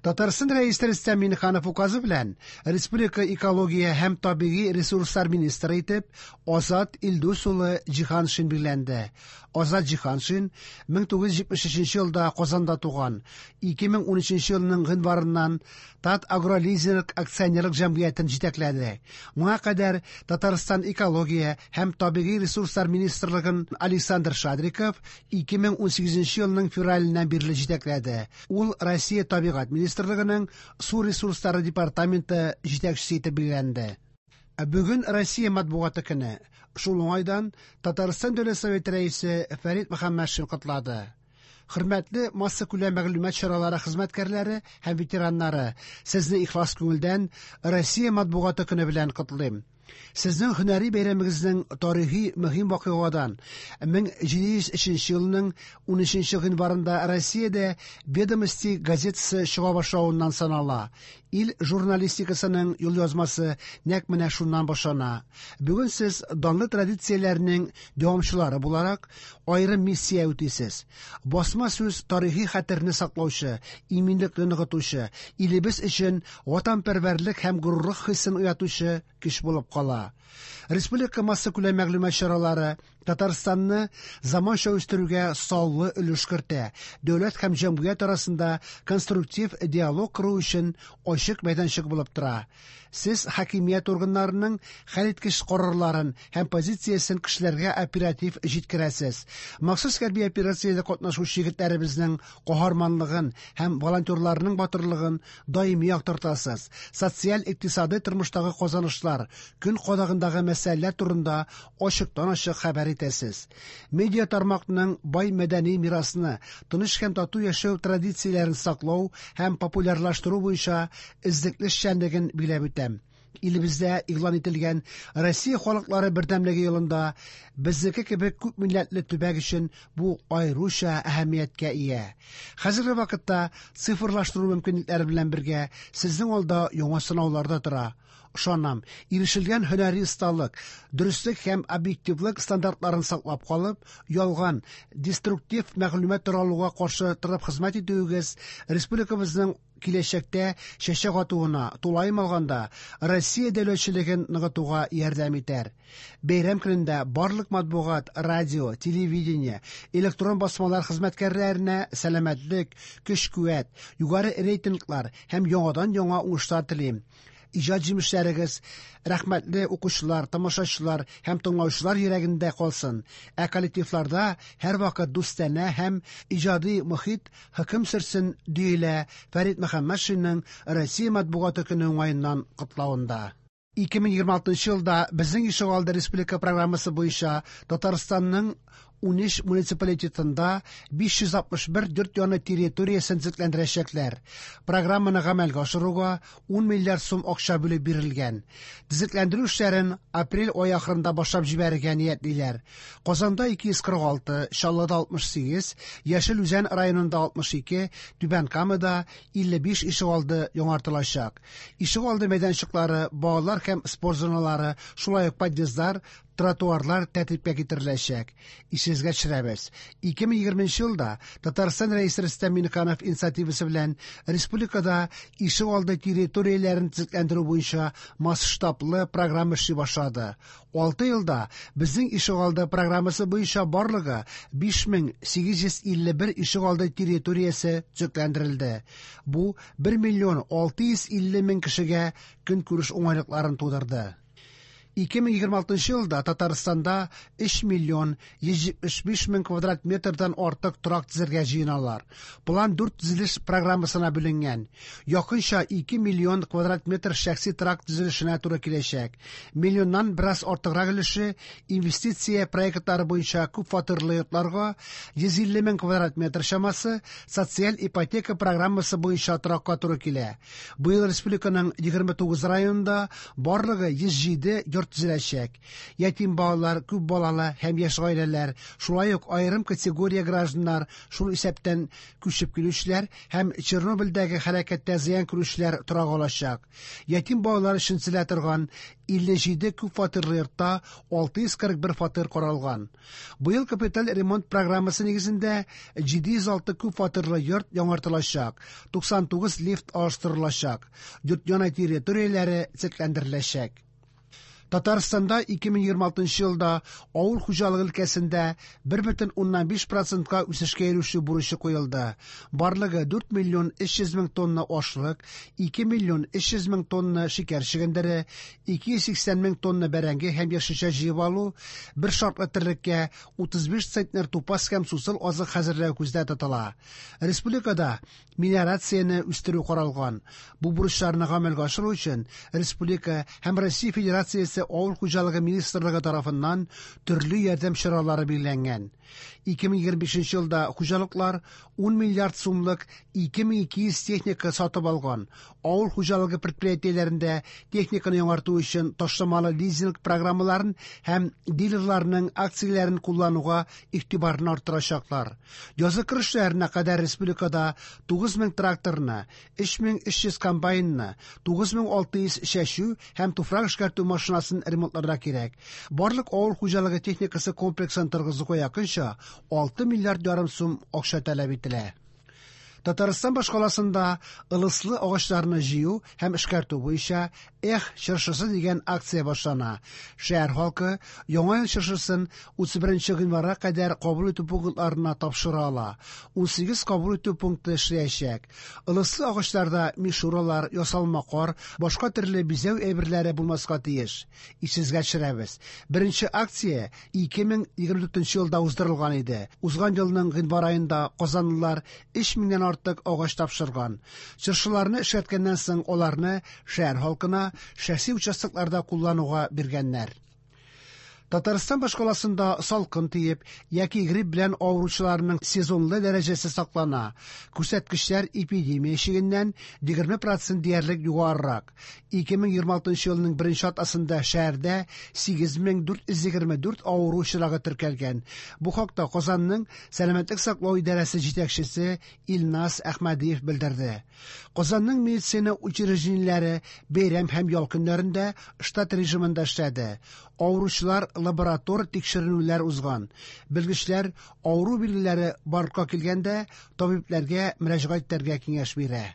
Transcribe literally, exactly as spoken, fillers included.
Татарстан Рәисе Рөстәм Миңнеханов указы белән республика экология һәм табигый ресурслар министры итеп Азат Илдус улы Җиһаншин билгеләнде. Азат Җиһаншин мең тугыз йөз җитмеш өченче елда Казанда туган. ике мең унөченче елның гыйнварыннан Татагролизинг акционерлык җәмгыятен җитәкләде. Моңа кадәр Татарстан экология һәм табигый ресурслар министрлыгын Александр Шадриков ике мең унсигезенче елның февраленнән бирле җитәкләде. Ул Россия табигать министрлыгының су ресурслары департаменты җитәкчесе итеп билгеләнде. Ә бүген Россия матбугаты көне. Шул уңайдан Татарстан Дәүләт Советы рәисе Фәрит Мөхәммәтшин котлады. Хөрмәтле массакүләм мәгълүмат чаралары хезмәткәрләре һәм ветераннары, сезне ихлас күңелдән Россия матбугаты көне белән котлыйм. Сезнең һөнәри бәйрәмегезнең тарихи мөһим вакыйгадан мең җиде йөз өченче елның унөченче гыйнварында Россиядә Ведомости газетасы чыга башлавыннан санала. Ил журналистикасының юлъязмасы нәкъ менә шуннан башлана. Бүген сез данлы традицияләрнең дәвамчылары буларак аерым миссия үтисез. Басма сүз тарихи хәтерне саклаучы, иминлекне ныгытучы, илебез өчен ватанпәрвәрлек һәм горурлык хисен уятучы көч булып кала. Республика массакүләм мәгълүмат чаралары Татарстанны заманча үстерүгә саллы өлеш кертә. Дәүләт һәм җәмгыять арасында конструктив диалог кору өчен ачык мәйданчык булып тора. Сез хакимият органнарының хәлиткеч карарларын һәм позициясен кешеләргә оператив җиткерәсез. Махсус хәрби операциядә катнашучы егетләребезнең каһарманлыгын һәм волонтерларның батырлыгын даими яктыртасыз. Социаль-икътисади тормыштагы казанышлар, көн кадагындагы мәсьәләләр турында ачыктан-ачык хәбәр итәсез. Медиа тармакның бай мәдәни мирасны, тыныч һәм тату яшәү традицияләрен саклау һәм популярлаштыру буенча эзлекле эшчәнлеген биләп үтәм. Илебездә игълан ителгән Россия халыклары бердәмлеге елында безнеке кебек күп милләтле төбәк өчен бу аеруча әһәмияткә ия. Хәзерге вакытта цифрлаштыру мөмкинлекләре белән бергә сезнең алда яңа сынаулар да тора. Ышанам, ирешелгән һөнәри осталык, дөреслек һәм объективлык стандартларын саклап калып, ялган, деструктив мәгълүмат таралуга каршы торып хезмәт итүегез республикабызның киләчәктә чәчәк атуына, тулаем алганда, Россия дәүләтчелеген ныгытуга ярдәм итәр. Бәйрәм көнендә барлык матбугат, радио, телевидение, электрон басмалар хезмәткәрләренә сәламәтлек, көч-куәт, югары рейтинглар һәм яңадан-яңа уңышлар телим. Иҗат җимешләрегез рәхмәтле укучылар, тамашачылар һәм тыңлаучылар йөрәгендә калсын. Ә коллективларда һәр вакыт дустанә һәм иҗади мохит хөкем сөрсен, диелә Фәрит Мөхәммәтшинның Россия матбугаты көне уңаеннан котлавында. ике мең егерме алтынчы елда безнең ишегалды республика программасы буенча Татарстанның унөч муниципалитетында биш йөз алтмыш бер йорт яны территориясен төзекләндерәчәкләр. Программаны гамәлгә ашыруга ун миллиард сум акча бүлеп бирелгән. Төзекләндерү эшләрен апрель ае ахырында башлап җибәрергә ниятлиләр. Казанда ике йөз кырык алты, Чаллыда алтмыш сигез, Яшел Үзән районында алтмыш ике, Түбән Камада илле биш ишегалды яңартылачак. Ишегалды мәйданчыклары, балалар һәм спорт зоналары, шулай ук подъездлар, тротуарлар тәртипкә китереләчәк. Исегезгә төшерәбез. ике мең егерменче елда Татарстан Рәисе Рөстәм Миңнеханов инициативасы белән республикада ишегалды территорияләрен төзекләндерү буенча масштаблы программа эшли башлады. Алты елда безнең ишегалды программасы буенча барлыгы биш мең сигез йөз илле бер ишегалды территориясе төзекләндерелде. Бу бер миллион алты йөз илле мең кешегә көнкүреш уңайлыкларын тудырды. Ике мең егерме алтынчы елда Татарстанда өч миллион йөз җитмеш биш мең квадрат метрдан артык торак төзергә җыеналар. План дүрт төзелеш программасына бүленгән. Якынча ике миллион квадрат метр шәхси торак төзелешенә туры киләчәк. Миллионнан бераз артыграк өлеше инвестиция проектлары буенча күп фатирлы йортларга, йөз илле мең квадрат метр чамасы социаль ипотека программасы буенча торакка туры килә. Быел республиканың егерме тугыз районында барлыгы йөз җиде йорт йорт төзеләчәк. Ятим балалар, күп балалы һәм яшь гаиләләр, шулай ук аерым категория гражданнар, шул исәптән күчеп килүчеләр һәм Чернобыльдәге һәлакәттә зыян күрүчеләр торак алачак. Ятим балалар өчен төзелә торган илле җиде күп фатирлы йортта алты йөз кырык бер фатир каралган. Быел капиталь ремонт программасы нигезендә җиде йөз алты күп фатирлы йорт яңартылачак, туксан тугыз лифт алыштырылачак, йорт яны территорияләре төзекләндереләчәк. Татарстанда ике мең егерме алтынчы елда авыл хуҗалыгы өлкәсендә бер бөтен уннан биш процентка үсешкә ирешү бурычы куелды. Барлыгы дүрт миллион өч йөз мең тонна ашлык, ике миллион өч йөз мең тонна шикәр чөгендере, ике йөз сиксән мең тонна бәрәңге һәм яшелчә җыеп алу, бер шартлы терлеккә утыз биш центнер тупас һәм сусыл азык хәзерләү күздә тотыла. Республикада мелиорацияне үстерү каралган. Бу бурычларны гамәлгә ашыру өчен республика һәм Россия Федерациясе Авыл хуҗалыгы министрлыгы тарафыннан төрле ярдәм чаралары билгеләнгән. Ике мең егерме бишенче елда хуҗалыклар ун миллиард сумлык ике мең ике йөз техника сатып алган. Авыл хуҗалыгы предприятиеләрендә техниканы яңарту өчен ташламалы лизинг программаларын һәм дилерларның акцияләрен куллануга игътибарны арттырачаклар. Язгы кыр эшләренә кадәр республикада тугыз мең тракторны, өч мең өч йөз комбайнны, тугыз мең алты йөз чәчү һәм туфрак эшкәртү машинасын ремонтларга кирәк. Барлык авыл хуҗалыгы техникасы комплексын торгызуга якынча алты миллиард ярым сум акча таләп ителә. Татарстан башкаласында ылыслы агачларны җыю һәм эшкәртү буенча Эх чыршысы дигән акция башлана. Шәһәр халкы Яңа ел чыршысын утыз беренче гыйнварга кадәр кабул итү пунктларына тапшыра ала. Унсигез кабул итү пункты эшләячәк. Ылыслы агачларда мишуралар, ясалма кар, башка төрле бизәү әйберләре булмаска тиеш. Исегезгә төшерәбез. Беренче акция ике мең егерме дүртенче елда уздырылган иде. Узган елның гыйнвар аенда казанлылар өч меңнән артык агач тапшырган. Чыршыларны эшкәрткәннән соң аларны шәһәр халкына шәхси участокларда куллануга биргәннәр. Татарстан башкаласында салкын тиеп яки грипп белән авыручыларның сезонлы дәрәҗәсе саклана. Күрсәткечләр эпидемия чигеннән егерме процент диярлек югарырак. Ике мең егерме алтынчы елның беренче атнасында шәһәрдә сигез мең дүрт йөз егерме дүрт авыру очрагы теркәлгән. Бу хакта Казанның сәламәтлек саклау идарәсе җитәкчесе Илназ Әхмәдиев белдерде. Казанның медицина учреждениеләре бәйрәм һәм ял көннәрендә штат режимында эшләде. Авыручылар лаборатор тикшеренүләр узган. Белгечләр авыру билгеләре барлыкка килгәндә табибләргә мөрәҗәгать итәргә киңәш бирә.